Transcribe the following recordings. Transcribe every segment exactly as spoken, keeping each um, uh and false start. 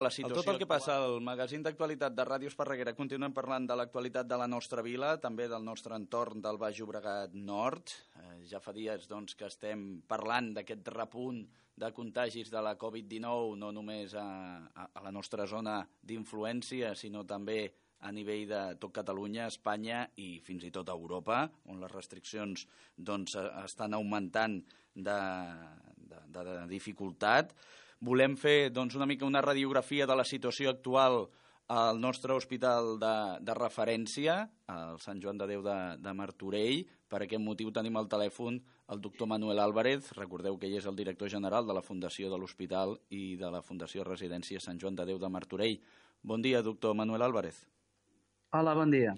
La situació... Tot el que passa al magazín d'actualitat de Ràdio Esparreguera, continuem parlant de l'actualitat de la nostra vila, també del nostre entorn del Baix Llobregat Nord. Eh, ja fa dies doncs, que estem parlant d'aquest repunt de contagis de la covid dinou, no només a, a, a la nostra zona d'influència, sinó també a nivell de tot Catalunya, Espanya i fins i tot a Europa, on les restriccions doncs, estan augmentant de, de, de dificultat. Volem fer doncs, una mica una radiografia de la situació actual al nostre hospital de, de referència, al Sant Joan de Déu de, de Martorell. Per aquest motiu tenim al telèfon el doctor Manuel Álvarez. Recordeu que ell és el director general de la Fundació de l'Hospital i de la Fundació Residència Sant Joan de Déu de Martorell. Bon dia, doctor Manuel Álvarez. Hola, bon dia.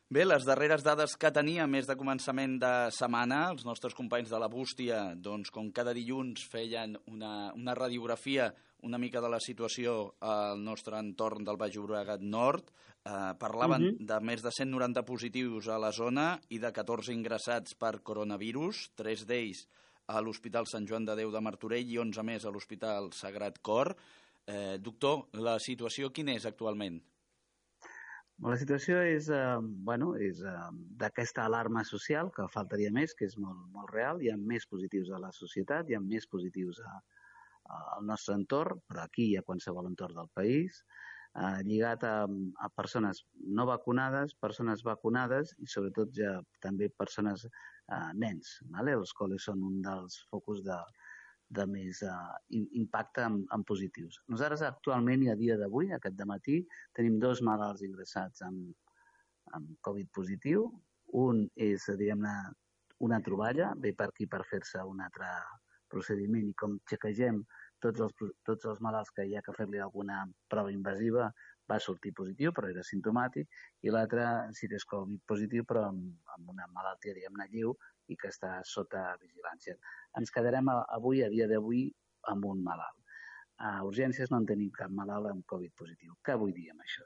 Bé, les darreres dades que tenia més de començament de setmana, els nostres companys de la Bústia, doncs, com cada dilluns feien una, una radiografia una mica de la situació al nostre entorn del Baix Llobregat Nord, eh, parlaven uh -huh. de més de cent noranta positius a la zona i de catorze ingressats per coronavirus, tres d'ells a l'Hospital Sant Joan de Déu de Martorell i onze més a l'Hospital Sagrat Cor. Eh, doctor, la situació quina és actualment? La situació és, eh, bueno, és eh, d'aquesta alarma social, que faltaria més, que és molt, molt real. Hi ha més positius a la societat, hi ha més positius a, a, al nostre entorn, però aquí i a qualsevol entorn del país, eh, lligat a, a persones no vacunades, persones vacunades i sobretot ja també persones, eh, nens, vale? Els col·les són un dels focus de, de més uh, impacte en, en positius. Nosaltres actualment i a dia d'avui, aquest dematí, tenim dos malalts ingressats amb, amb Covid positiu. Un és, diguem-ne, una troballa, ve per aquí per fer-se un altre procediment i com xequegem tots els, tots els malalts que hi ha que fer-li alguna prova invasiva, va sortir positiu, però era simptomàtic, i l'altre sí que és Covid positiu, però amb, amb una malaltia, diguem-ne, lleu, i que està sota vigilància. Ens quedarem avui, a dia d'avui, amb un malalt. A urgències no en tenim cap malalt amb Covid positiu. Què vull dir amb això?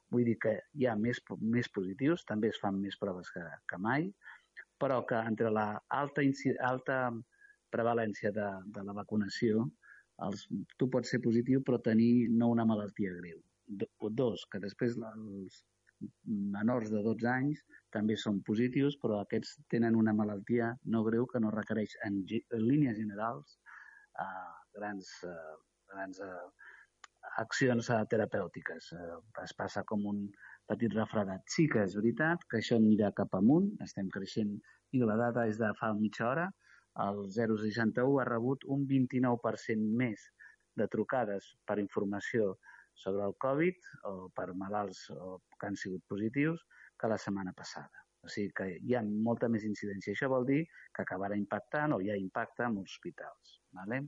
Vull dir que hi ha més, més positius, també es fan més proves que, que mai, però que entre la alta, alta prevalència de, de la vacunació, els, tu pots ser positiu però tenir no una malaltia greu. Dos, que després els menors de dotze anys també són positius, però aquests tenen una malaltia no greu que no requereix en, en línies generals eh, grans, eh, grans eh, accions eh, terapèutiques. Eh, es passa com un petit refredat. Sí que és veritat que això anirà cap amunt, estem creixent i la data és de fa mitja hora. El zero coma seixanta-u ha rebut un vint-i-nou per cent més de trucades per informació sobre el Covid o per malalts o que han sigut positius que la setmana passada. O sigui que hi ha molta més incidència. Això vol dir que acabarà impactant o ja impacta en els hospitals. Vale?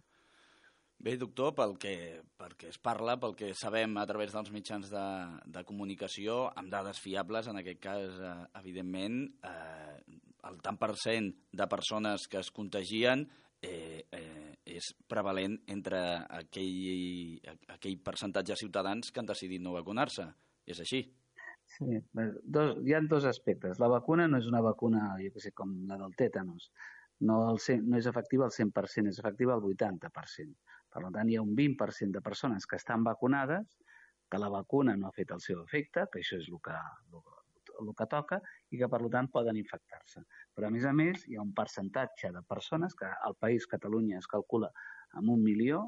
Bé, doctor, pel que, pel que es parla, pel que sabem a través dels mitjans de, de comunicació, amb dades fiables, en aquest cas, eh, evidentment, eh, el tant per cent de persones que es contagien eh, eh, és prevalent entre aquell, aquell percentatge de ciutadans que han decidit no vacunar-se. És així? Sí, dos, hi ha dos aspectes. La vacuna no és una vacuna, jo què sé, com la del tètanos. No, el, no és efectiva al cent per cent, és efectiva al vuitanta per cent. Per tant, hi ha un vint per cent de persones que estan vacunades, que la vacuna no ha fet el seu efecte, que això és el que, el, el que toca, i que, per tant, poden infectar-se. Però, a més a més, hi ha un percentatge de persones que al país Catalunya es calcula amb un milió,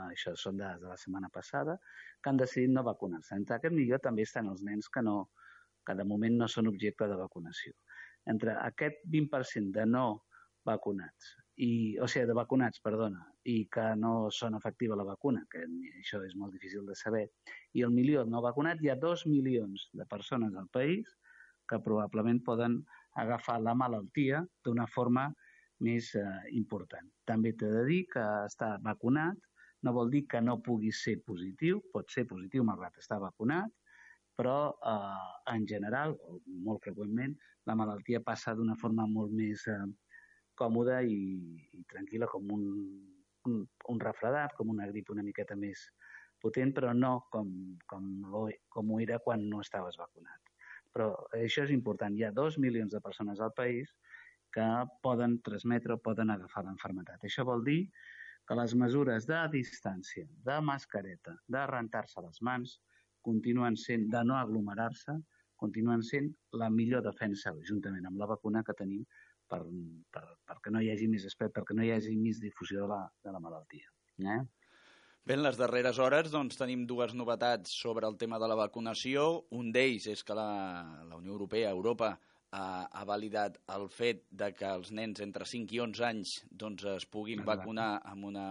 això són dades de la setmana passada, que han decidit no vacunar-se. Entre aquest milió també estan els nens que, no, que de moment no són objecte de vacunació. Entre aquest vint per cent de no vacunats, i, o sigui, de vacunats, perdona, i que no són efectiva la vacuna, que això és molt difícil de saber, i el milió no vacunat, hi ha dos milions de persones al país que probablement poden agafar la malaltia d'una forma més eh, important. També t'he de dir que estar vacunat no vol dir que no pugui ser positiu, pot ser positiu malgrat estar vacunat, però eh, en general, o molt freqüentment, la malaltia passa d'una forma molt més eh, còmoda i, i tranquil·la, com un, un, un refredat, com una grip una miqueta més potent, però no com, com, com ho era quan no estaves vacunat. Però això és important. Hi ha dos milions de persones al país que poden transmetre o poden agafar l'enfermetat. Això vol dir que les mesures de distància, de mascareta, de rentar-se les mans, continuen sent, de no aglomerar-se, continuen sent la millor defensa, juntament amb la vacuna que tenim, per, per, perquè no hi hagi més spread, perquè no hi hagi més difusió de la, de la malaltia. Eh? Bé, en les darreres hores doncs, tenim dues novetats sobre el tema de la vacunació. Un d'ells és que la, la Unió Europea, Europa, ha, ha validat el fet de que els nens entre cinc i onze anys doncs, es puguin Exacte. vacunar amb una,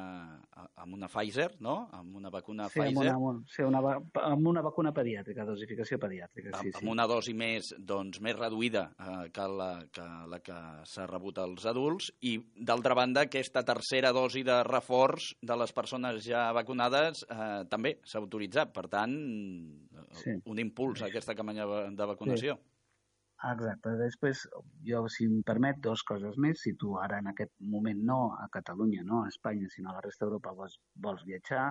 amb una Pfizer, no? Amb una vacuna sí, Pfizer. Amb una, sí, una, amb una vacuna pediàtrica, dosificació pediàtrica. Sí, amb sí. una dosi més, doncs, més reduïda eh, que, la, que la que s'ha rebut als adults i, d'altra banda, aquesta tercera dosi de reforç de les persones ja vacunades eh, també s'ha autoritzat. Per tant, sí. un impuls a aquesta campanya de vacunació. Sí. Exacte. Després, jo, si em permet, dues coses més. Si tu ara en aquest moment no a Catalunya, no a Espanya, sinó a la resta d'Europa vols, vols viatjar,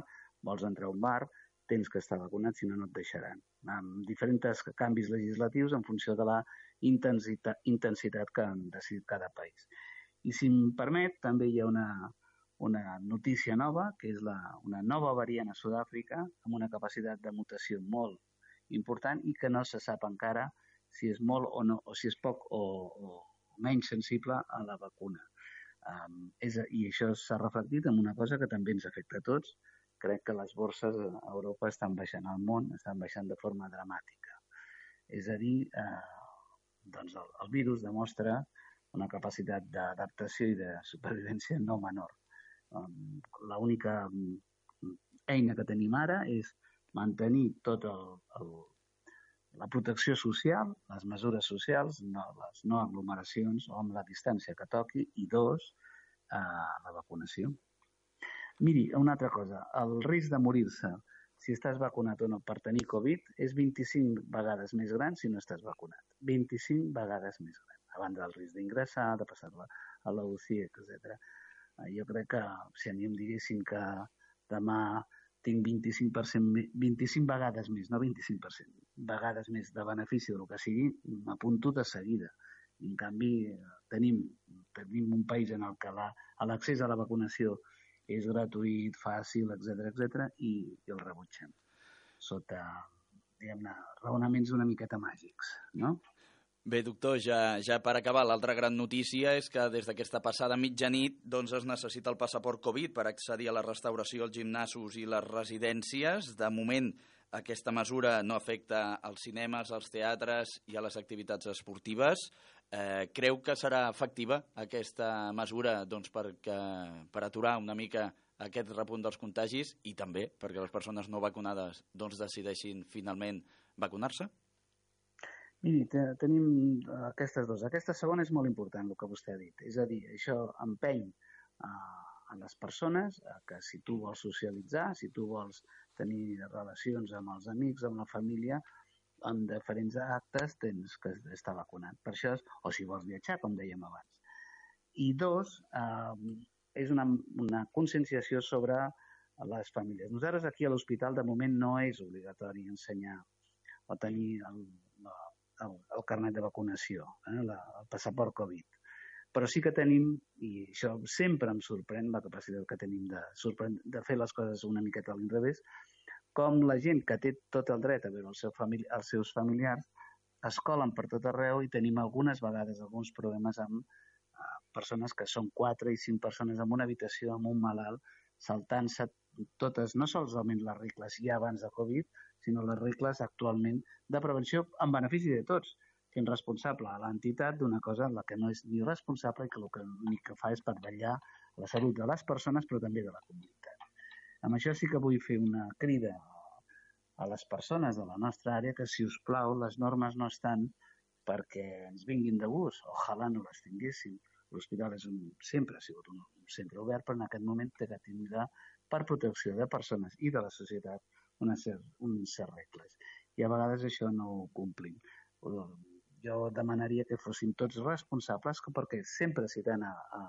vols entrar a un bar, tens que estar vacunat, si no, no et deixaran. Amb diferents canvis legislatius en funció de la intensitat, intensitat que han decidit cada país. I si em permet, també hi ha una, una notícia nova, que és la, una nova variant a Sud-àfrica, amb una capacitat de mutació molt important i que no se sap encara si és molt o no, o si és poc o, o menys sensible a la vacuna. Um, és, I això s'ha reflectit en una cosa que també ens afecta a tots. Crec que les borses a Europa estan baixant, al món estan baixant de forma dramàtica. És a dir, eh, doncs el, el virus demostra una capacitat d'adaptació i de supervivència no menor. Um, L'única eina que tenim ara és mantenir tot el, el la protecció social, les mesures socials, no, les no aglomeracions o amb la distància que toqui, i dos, eh, la vacunació. Miri, una altra cosa, el risc de morir-se si estàs vacunat o no per tenir Covid és vint-i-cinc vegades més gran si no estàs vacunat. vint-i-cinc vegades més gran, a banda del risc d'ingressar, de passar-la a la U C I, etcètera. Eh, jo crec que si a mi em diguessin que demà tinc vint-i-cinc per cent, vint-i-cinc vegades més, no vint-i-cinc per cent, vegades més de benefici del que sigui, m'apunto de seguida. En canvi, tenim, tenim un país en el que l'accés a la vacunació és gratuït, fàcil, etcètera, etcètera, i, i el rebutgem sota, diguem-ne, raonaments una miqueta màgics, no? Bé, doctor, ja, ja per acabar, l'altra gran notícia és que des d'aquesta passada mitjanit doncs es necessita el passaport Covid per accedir a la restauració, als gimnasos i les residències. De moment, aquesta mesura no afecta als cinemes, als teatres i a les activitats esportives. Eh, creu que serà efectiva aquesta mesura doncs, per, que, per aturar una mica aquest repunt dels contagis i també perquè les persones no vacunades doncs, decideixin finalment vacunar-se? Miri, tenim aquestes dues. Aquesta segona és molt important, el que vostè ha dit. És a dir, això empeny a les persones que si tu vols socialitzar, si tu vols tenir relacions amb els amics, amb la família, en diferents actes tens que estar vacunat. Per això, o si vols viatjar, com dèiem abans. I dos, eh, és una, una conscienciació sobre les famílies. Nosaltres aquí a l'hospital de moment no és obligatori ensenyar o tenir el, el, el carnet de vacunació, eh, la, el passaport Covid. Però sí que tenim, i això sempre em sorprèn, la capacitat que tenim de, de fer les coses una miqueta a l'inrevés, com la gent que té tot el dret a veure el seu famili els seus familiars es colen per tot arreu i tenim algunes vegades alguns problemes amb uh, persones que són quatre i cinc persones en una habitació amb un malalt saltant-se totes, no solament les regles ja abans de Covid, sinó les regles actualment de prevenció en benefici de tots, fent responsable a l'entitat d'una cosa en la que no és ni responsable i que el que, ni que fa és per vetllar la salut de les persones però també de la comunitat. Amb això sí que vull fer una crida a les persones de la nostra àrea que, si us plau, les normes no estan perquè ens vinguin de gust. Ojalà no les tinguéssim. L'hospital és un, sempre ha sigut un, un centre obert, però en aquest moment té que tindre per protecció de persones i de la societat unes certes regles. I a vegades això no ho complim. Jo demanaria que fossin tots responsables, perquè sempre citant a, a,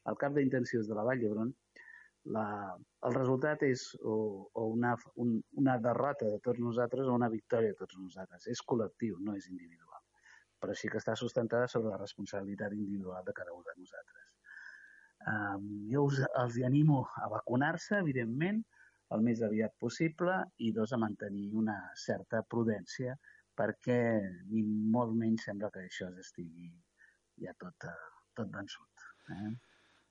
al cap d'intensius de la Vall d'Hebron, La, el resultat és o, o una, un, una derrota de tots nosaltres o una victòria de tots nosaltres. És col·lectiu, no és individual. Però sí que està sustentada sobre la responsabilitat individual de cada un de nosaltres. Eh, jo us, els animo a vacunar-se, evidentment, el més aviat possible, i dos, a mantenir una certa prudència, perquè ni molt menys sembla que això estigui ja tot, tot vençut. Eh?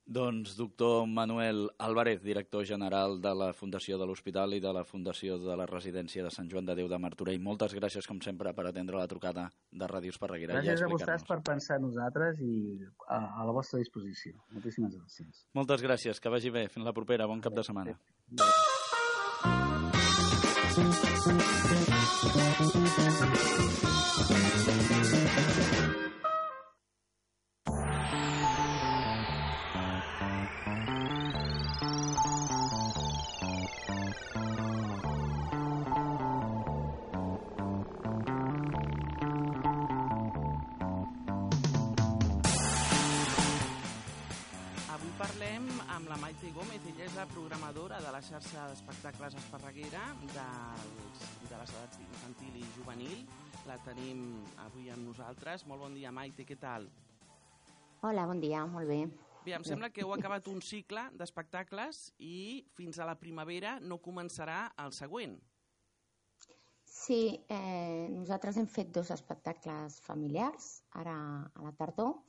Doncs doctor Manuel Álvarez, director general de la Fundació de l'Hospital i de la Fundació de la Residència de Sant Joan de Déu de Martorell, moltes gràcies, com sempre, per atendre la trucada de Ràdio Esparreguera. Gràcies a vostès per pensar en nosaltres i a, a la vostra disposició. Moltíssimes gràcies. Moltes gràcies, que vagi bé. Fins la propera. Bon cap de setmana. Parlem amb la Maite Gómez, ella és la programadora de la xarxa d'espectacles Esparreguera dels, de les edats infantil i juvenil. La tenim avui amb nosaltres. Molt bon dia, Maite, què tal? Hola, bon dia, molt bé. Bé, em sembla que heu acabat un cicle d'espectacles i fins a la primavera no començarà el següent. Sí, eh, nosaltres hem fet dos espectacles familiars, ara a la tardor,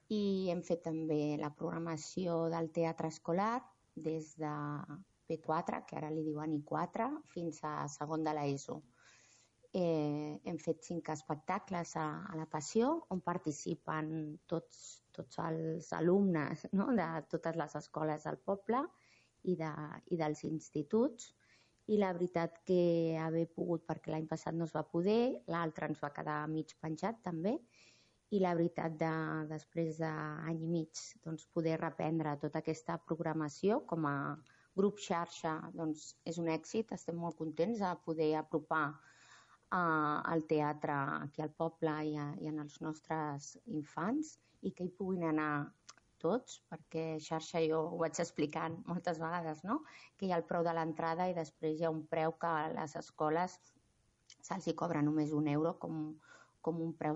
i hem fet també la programació del teatre escolar des de P quatre, que ara li diuen I quatre, fins a segon de l'ESO. Eh, hem fet cinc espectacles a, a la Passió, on participen tots, tots els alumnes, no?, de totes les escoles del poble i, de, i dels instituts. I la veritat que haver pogut, perquè l'any passat no es va poder, l'altre ens va quedar mig penjat també, i la veritat, de, després d'any i mig, doncs, poder reprendre tota aquesta programació com a grup xarxa, doncs, és un èxit. Estem molt contents de poder apropar uh, el teatre aquí al poble i, a, i en els nostres infants i que hi puguin anar tots, perquè xarxa jo ho vaig explicant moltes vegades, no?, que hi ha el preu de l'entrada i després hi ha un preu que a les escoles se'ls hi cobra només un euro com, com un preu